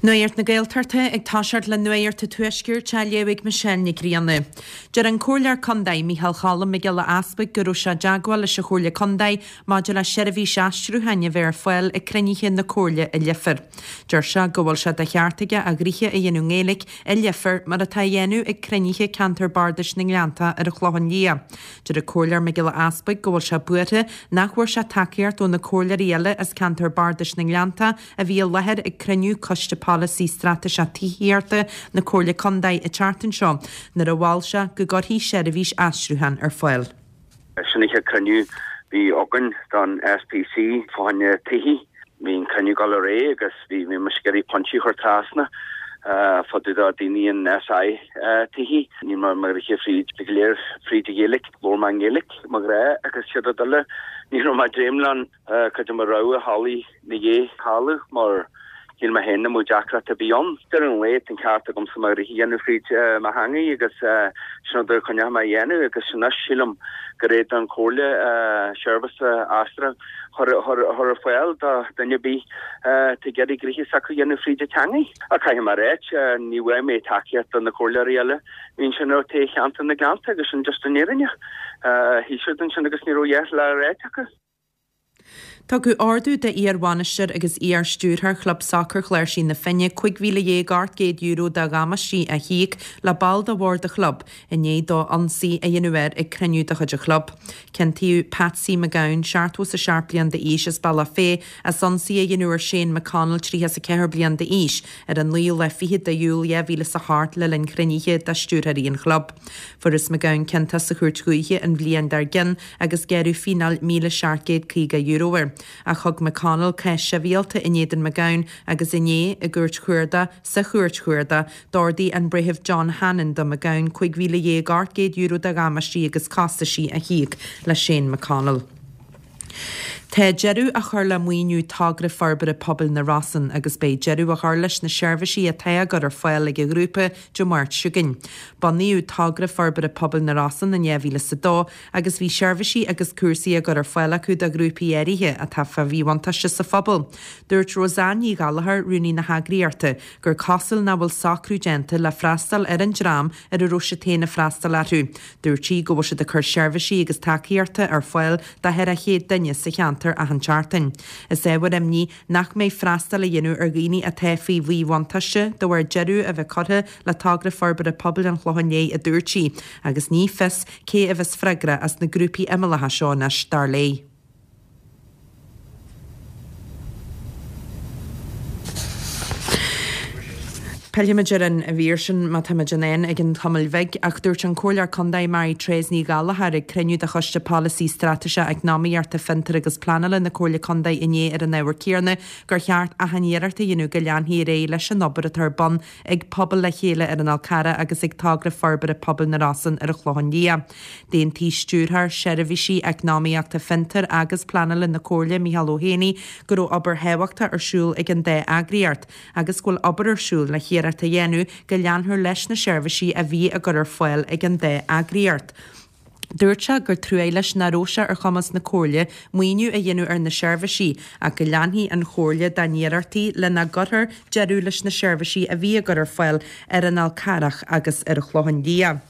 Nuacht na Gaeltachta ag toiseacht le Nuacht an Tuaiscirt á léamh ag Michelle Nic Grianna. Deir an Comhairleoir Contae, Micheál Cholm Mac Giolla Easpaig go raibh sé i dteagmháil leis an Chomhairle Contae maidir le seirbhís aistriúcháin a bheith ar fáil ag cruinnithe na Comhairle i Leifear. Deir sé go bhfuil sé de cheart aige a ghnoithe a dhéanamh i nGaeilge i Leifear mar atá á dhéanamh ag cruinnithe Ceantar Bardais na nGleanntach ar an Chlochán Liath. Deir an Comhairleoir Mac Giolla Easpaig go bhfuil sé buartha nach bhfuair sé tacaíocht ó na comhairleoirí eile as Ceantar Bardais na nGleanntach a bhí i láthair ag cruinniú Coiste Polasaí Straitéiseach Tithíochta na Comhairle Contae an tseachtain seo nuair a mhol sé go gcuirfí seirbhís aistriúcháin ar fáil. Sin an chéad cruinniú bhí againn don SPC fá choinne tithí. Bhí an cruinniú ag dul ar aghaidh agus bhí mise ag iarraidh pointí a chur trasna fá dtaobh de daoine in SI tithí. Níl mé mo ghnoithe fríd go léir fríd an Ghaeilge, labhair mé i nGaeilge mo ghnáth agus siad a dtuilleadh. Ní raibh mé ag dréim leo Cuid de mo rogha theaghlaigh na dhiaidh talamh mar shíl mé féin nach mbeadh deacracht ar bith ann. Deireadh an lae tá an ceart agamsa mo ghnoithe a dhéanamh fríd mo theangaidh agus sin rud a choinneoidh mé a dhéanamh agus anois sílim gur é don Chomhairle seirbhís aistriúcháin a chur ar fáil do dhuine ar bith atá ag iarraidh gnoithe s'acu a dhéanamh fríd a teangaidh. Ach caithfidh mé a ráit, ní bhfuair mé tacaíocht do na comhairleoirí eile a bhí ansin ó taobh cheantar na Gleannta agus sin just an fhírinne. Shuigh siad ansin agus ní raibh a dhath le ráit acu. Tugadh ordú d'iar-bhainisteoir agus iar-stiúrthóir Chlub Sacair Chláirsigh na Finne €15,800 de dhamáistí a híoc le ball de bhord an chlub i ndiaidh dó ionsaí a dhéanamh air ag cruinniú de chuid an chlub. Ciontaíodh Patsy McGowan, 77 bliain d'aois as Bealach Féich, as ionsaí a dhéanamh ar Shane McConnell, 34 bliain d'aois, ar an naoú lá fichead de Iúil 2008 le linn chruinnithe de stiúrthóirí an chlub. Fuarthas McGowan ciontach sa Chúirt Dhúiche an bhliain dár gcionn agus gearradh fíneáil €1,750 air. Ach thug McConnell cás sibhialta in éadan McGowan agus inné, i gCúirt Chuarda, sa Chúirt Chuarda, d'ordaigh an Breitheamh John Hannon do McGowan €15,800 de dhamáistí agus costaisí a híoc le Shane McConnell. Tá deireadh á chur le maoiniú Togra Forbartha Pobail na Rosann agus beidh deireadh á chur leis na seirbhísí atá á gcur ar fáil ag an ghrúpa Dé Máirt seo chugainn. Bunaíodh Togra Forbartha Pobail na Rosann in 2002 agus bhí seirbhísí agus cúrsaí á gcur ar fáil acu do ghrúpaí áirithe atá fá mhíbhuntáiste sa phobal. Dúirt Roseanne Ní Ghallchóir, rúnaí na heagraíochta, gur cosúil nach bhfuil socrú déanta le freastal ar an dream ar a raibh siad féin ag freastal orthu. Dúirt sí go bhfuil siad ag cur seirbhísí agus tacaíochta ar fáil do 400 duine sa cheantar achan tseachtain. Is ábhar imní nach mbeidh freastal á dhéanamh ar dhaoine atá faoi mhíbhuntáiste de bharr deireadh a bheith curtha le Togra Forbartha Pobail an Chlocháin Léith, a dúirt sí, agus ní fios cé a bheas freagrach as na grúpaí imeallacha seo anois, dar léi. Pillfimid ar an mhír sin má táimid in ann ag an tamall bhig, ach dúirt an Comhairleoir Contae Mary Therese Ní Ghallchóir ag cruinniú de Choiste Polasaí Straitéiseach Eacnamaíochta, Fiontair agus Pleanála na Comhairle Contae inné ar an ábhar céanna gur cheart achan iarracht a dhéanamh go leanfaí ar aghaidh leis an obair atá ar bun ag Pobal le Chéile ar an Fhál Carrach agus ag Togra Forbartha Pobail na Rosann ar an Chlochán Liath. D'aontaigh Stiúrthóir Seirbhísí Eacnamaíochta Fiontair agus Pleanála na Comhairle, Micheál Ó hÉanaí, go raibh obair thábhachtach ar siúl ag an dá eagraíocht agus go bhfuil obair ar siúl le hiarracht a dhéanamh go leanfar leis na seirbhísí a bhí á gcur ar fáil ag an dá eagraíocht. Dúirt sé gur truaigh leis nach raibh sé ar chumas na Comhairle maoiniú a dhéanamh ar na seirbhísí ach go leanfaidh an Chomhairle dá n-iarrachtaí lena gcuirfear deireadh leis na seirbhísí a bhí á gcur ar fáil ar an Fhál Carrach agus ar an Chlochán Liath.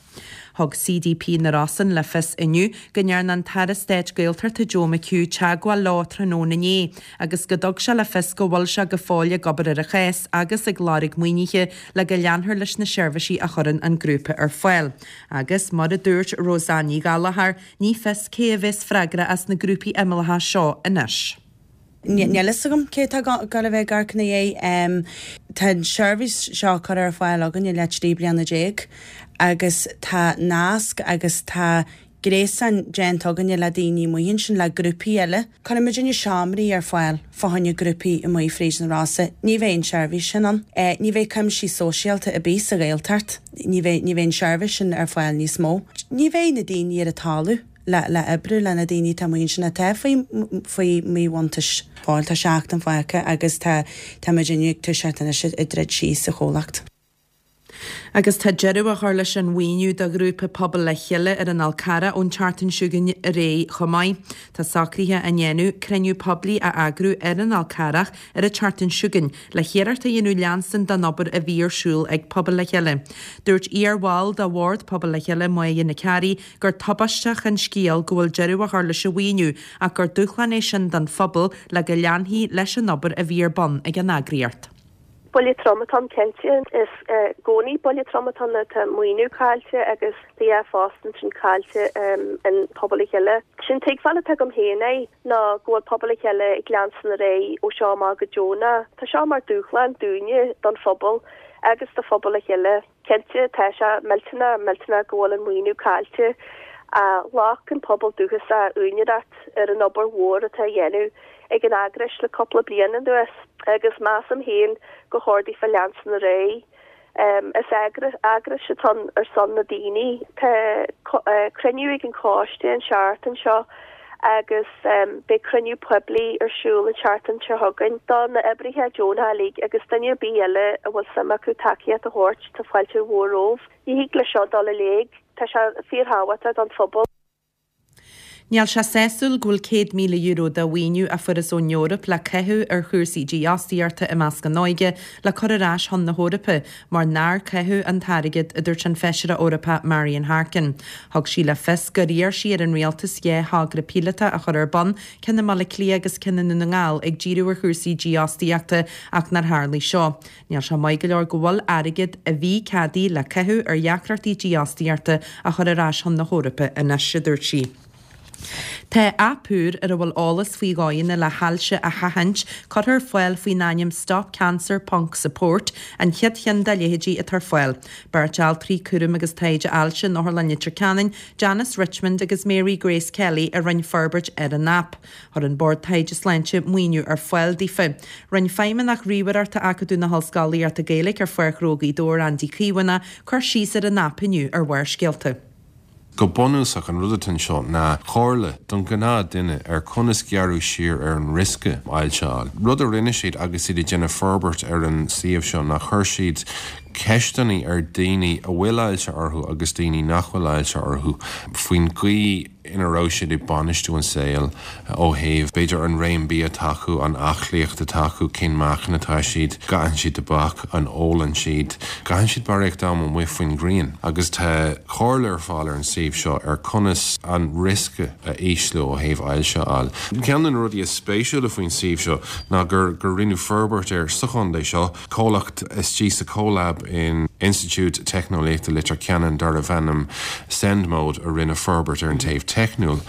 Thug CDP na Rosann le fios inniu go ndearna an tAire Stáit Gaeltachta Joe McHugh teagmháil leo tráthnóna inné agus go dtug sé le fios go bhfuil sé go fóill ag obair ar an chás agus ag lorg maoinithe le go leanfar leis na seirbhísí a chuireann an grúpa ar fáil. Agus, mar a dúirt Roseanne Ní Ghallchóir, ní fios cé a bheas freagrach as na grúpaí imeallacha seo anois. Níl fhios agam cé atá ag gabháil a bheith ag amharc ina dhiaidh. Tá an seirbhís seo curtha ar fáil againn i leith 13 bliana agus tá nasc agus tá gréasán déanta againne le daoine amuigh ansin, le grúpaí eile. Cuireann muidinne seomraí ar fáil fá choinne grúpaí amuigh fríd na Rosa. Ní bheidh an tseirbhís sin ann. Ní bheidh cuimsiú sóisialta ar bith sa Ghaeltacht. Ní bheidh, ní bheidh an tseirbhís sin ar fáil níos mó. Ní bheidh na daoine ar an talamh. le le oibriú le na daoine atá amuigh ansin atá faoi faoi mhíbhuntáiste. Fáil tá seachtain fágtha agus tá tá muidinne ag toiseacht anois ag druid síos sa chomhlacht. Agus tá deireadh á chur leis an mhaoiniú do ghrúpa Pobal le Chéile ar an Fhál Carrach ón tseachtain seo chugainn ar aghaidh chomh maith. Tá socruithe á ndéanamh cruinniú poiblí a eagrú ar an Fhál Carrach ar an tseachtain seo chugainn le hiarracht a dhéanamh leanstan den obair a bhí ar siúl ag Pobal le Chéile. Dúirt iar-bhall de bhord Pobal le Chéile, Máire Nic Fhearraigh, gur tubaisteach an scéal go bhfuil deireadh á chur leis an mhaoiniú ach gur dúshlán é sin don phobal le go leanfaí leis an obair a bhí ar bun ag an eagraíocht. Buille trom atá ann cinnte. Is i gcónaí buille trom atá ann nuair atá maoiniú caillte agus tá dhá phost ansin caillte in Pobal le Chéile. Sé'n tuigbheáil atá agam féin é ná go bhfuil Pobal le Chéile ag leanstan ar aghaidh ó seo amach go deonach. Tá seo mar dúshlán dúinne, don phobal agus do Phobal le Chéile. Cinnte, tá sé millteanach, millteanach go bhfuil an maoiniú caillte. Ghlac an pobal dúchasach úinéireacht ar an obair mhór atá á dhéanamh ag an eagrais le cúpla bliain anuas agus measaim féin gur chóir daofa leanstan ar aghaidh. Is eagrais atá ann ar son na daoine. Tá cruinniú ag an choiste an seachtain seo agus beidh cruinniú poiblí ar siúl an tseachtain seo chugainn do na oibrithe deonacha uilig agus duine ar bith eile a bhfuil suim acu tacaíocht a thabhairt, tá fáilte mhór romhaibh. Ní thig le seo dul i léig, tá sé fíorthábhachtach don phobal. Níl sé sásúil go bhfuil €100,000 de mhaoiniú a fuarthas ón Eoraip le caitheamh ar chúrsaí dífhostaíochta i measc an óige le cur ar ais chun na hEorpa mar nár caitheadh an t-airgead, a dúirt an Feisire Eorpach Marian Harkin. Thug sí le fios gur iarr sí ar an rialtas 2 thogra píolótach a chur ar bun, ceann i mBaile Átha Cliath agus ceann i nDún na nGall, ag díriú ar chúrsaí dífhostaíochta ach nár tharlaigh seo. Níl sé maith go leor go bhfuil airgead a bhí ceadaithe le caitheamh ar dheacrachtaí dífhostaíochta á chur ar ais chun na hEorpa anois, a dúirt sí. Tá aip úr ar a bhfuil eolas faoi dhóigheanna le hailse a sheachaint curtha ar fáil faoin ainm Stop Cancer ponc Support, an chéad cheann dá leithéidí atá ar fáil. Beirt altraí cúraim agus taighde ailse in Otharlann Leitir Ceanainn, Janice Richmond agus Mary Grace Kelly a rinne forbairt ar an aip. Chuir an Bord Taighde Sláinte maoiniú ar fáil daofa. Rinne Feidhmeannach Ríomhaireachta Acadamh na hOllscolaíochta Gaeilge ar Pháirc Ghnó Ghaoth Dobhair, Andy Caomhánach, cur síos ar an aip inniu ar Bharrscéalta. Go bunúsach, an rud atá anseo ná comhairle don ghnáth duine ar conas gearradh siar ar an riosca ailse a fháil. Rud a rinne siad agus iad ag déanamh forbairt ar an suíomh seo ná chuir siad ceisteanna ar daoine a bhfuil ailse orthu agus daoine nach bhfuil ailse orthu faoin gcaoi ina raibh siad ag bainistiú an saol ó thaobh, b'fhéidir, an réim bia atá acu, an aclaíocht atá acu, cén meáchan atá siad, gcaitheann siad tobac, an ólann siad, gcaitheann siad barraíocht am amuigh faoin ghrian. Agus tá comhairle ar fáil ar an suíomh seo ar conas an riosca a ísliú ó thaobh ailse a fháil. Ceann de na rudaí is spéisiúla faoin suíomh seo ná gur gur rinneadh forbairt air sa chontae seo, comhlacht istigh sa CoLab in Institiúid Teicneolaíochta Leitir Ceanainn darbh ainm Sendmode a rinne forbairt ar an taobh teicniúil.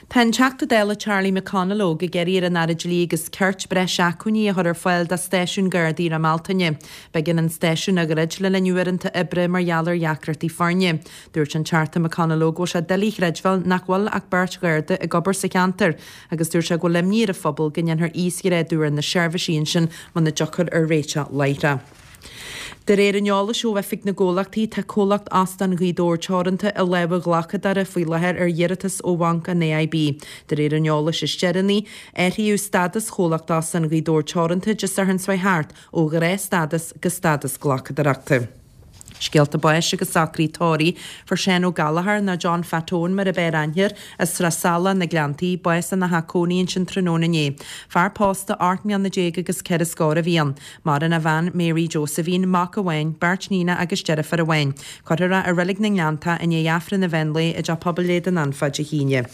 Tá an Teachta Dála Charlie McConalogue ag iarraidh ar an Aire Dlí agus Cirt breis acmhainní a chur ar fáil do stáisiún Gardaí Dhroim Altaine. B'éigean an stáisiún a dhruid le linn uaireanta oibre mar gheall ar dheacrachtaí foirne. Dúirt an Teachta McConalogue go bhfuil sé doiligh a chreidbheáil nach bhfuil ach beirt Gharda ag obair sa cheantar Agus dúirt sé go bhfuil imní ar an phobal go ndéanfar íosghrádú ar na seirbhísí ansin muna dtiocfar ar réiteach láithreach. De réir an eolais ó Oifig na gComhlachtaí, tá comhlacht Óstán Ghaoth Dobhair Teoranta i lámha ghlacadóra faoi láthair ar iarratas ó Bhanc an AIB. De réir an eolais is deireanaí, athraíodh stádas chomhlacht Óstán Ghaoth Dobhair Teoranta Dé Sathairn seo thart ó ghnáthstádas go stádas glacadóireachta. Scéalta báis agus socruithe tórraimh. Fuair Seán Ó Gallchóir, nó John Phat Eoin mar ab fhearr aithne air, as Srath Salach, Na Gleanntaí, bás ina theach cónaí ansin tráthnóna inné. Fear pósta, 18 mbliana agus ceithre scór a bhí ann. Maireann a bhean, Mary Josephine, mac amháin, beirt níonacha agus deirfiúr amháin. Cuirfear é i Reilig na nGleanntach i ndiaidh Aifreann an mheán lae i dTeach Pobail Leitir Ceanainn fá Dé hAoine.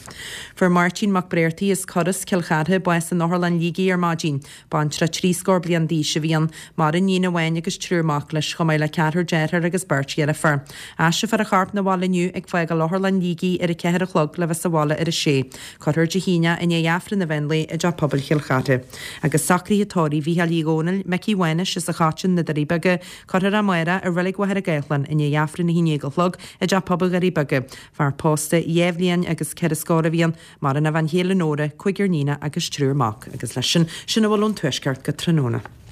Fuair Máirtín Mac Bréartaigh as Coras, Cill Chartha, bás in Otharlann Shligigh ar maidin. Baintreach trí scór bliain d'aois a bhí ann. Maireann níon amháin agus triúr mac leis, chomh maith le ceathrar deartháir agus beirt dheirfiúr. Aistreofar a chorp 'na bhaile inniu ag fágáil Otharlann Shligigh ar a ceathair a chlog le bheith sa bhaile ar a sé. Cuirfear Dé hAoine i ndiaidh Aifreann an mheán lae i dTeach Pobail Chill Chartha. Agus socruithe tórraimh Mhícheáil Uí Dhónaill, Micí Mhánais as an Choiteann, Na Doirí Beaga, cuirfear é amárach i Reilig Mhachaire Gathlán i ndiaidh Aifreann 11 a chlog i dTeach Pobail Dhoirí Beaga. Fear pósta 2 bhliain agus ceithre scór a bhí ann. Maireann a bhean chéile Nóra, cúigear níonacha agus triúr mac, agus leis sin, sin a bhfuil ón Tuaisceart go tráthnóna.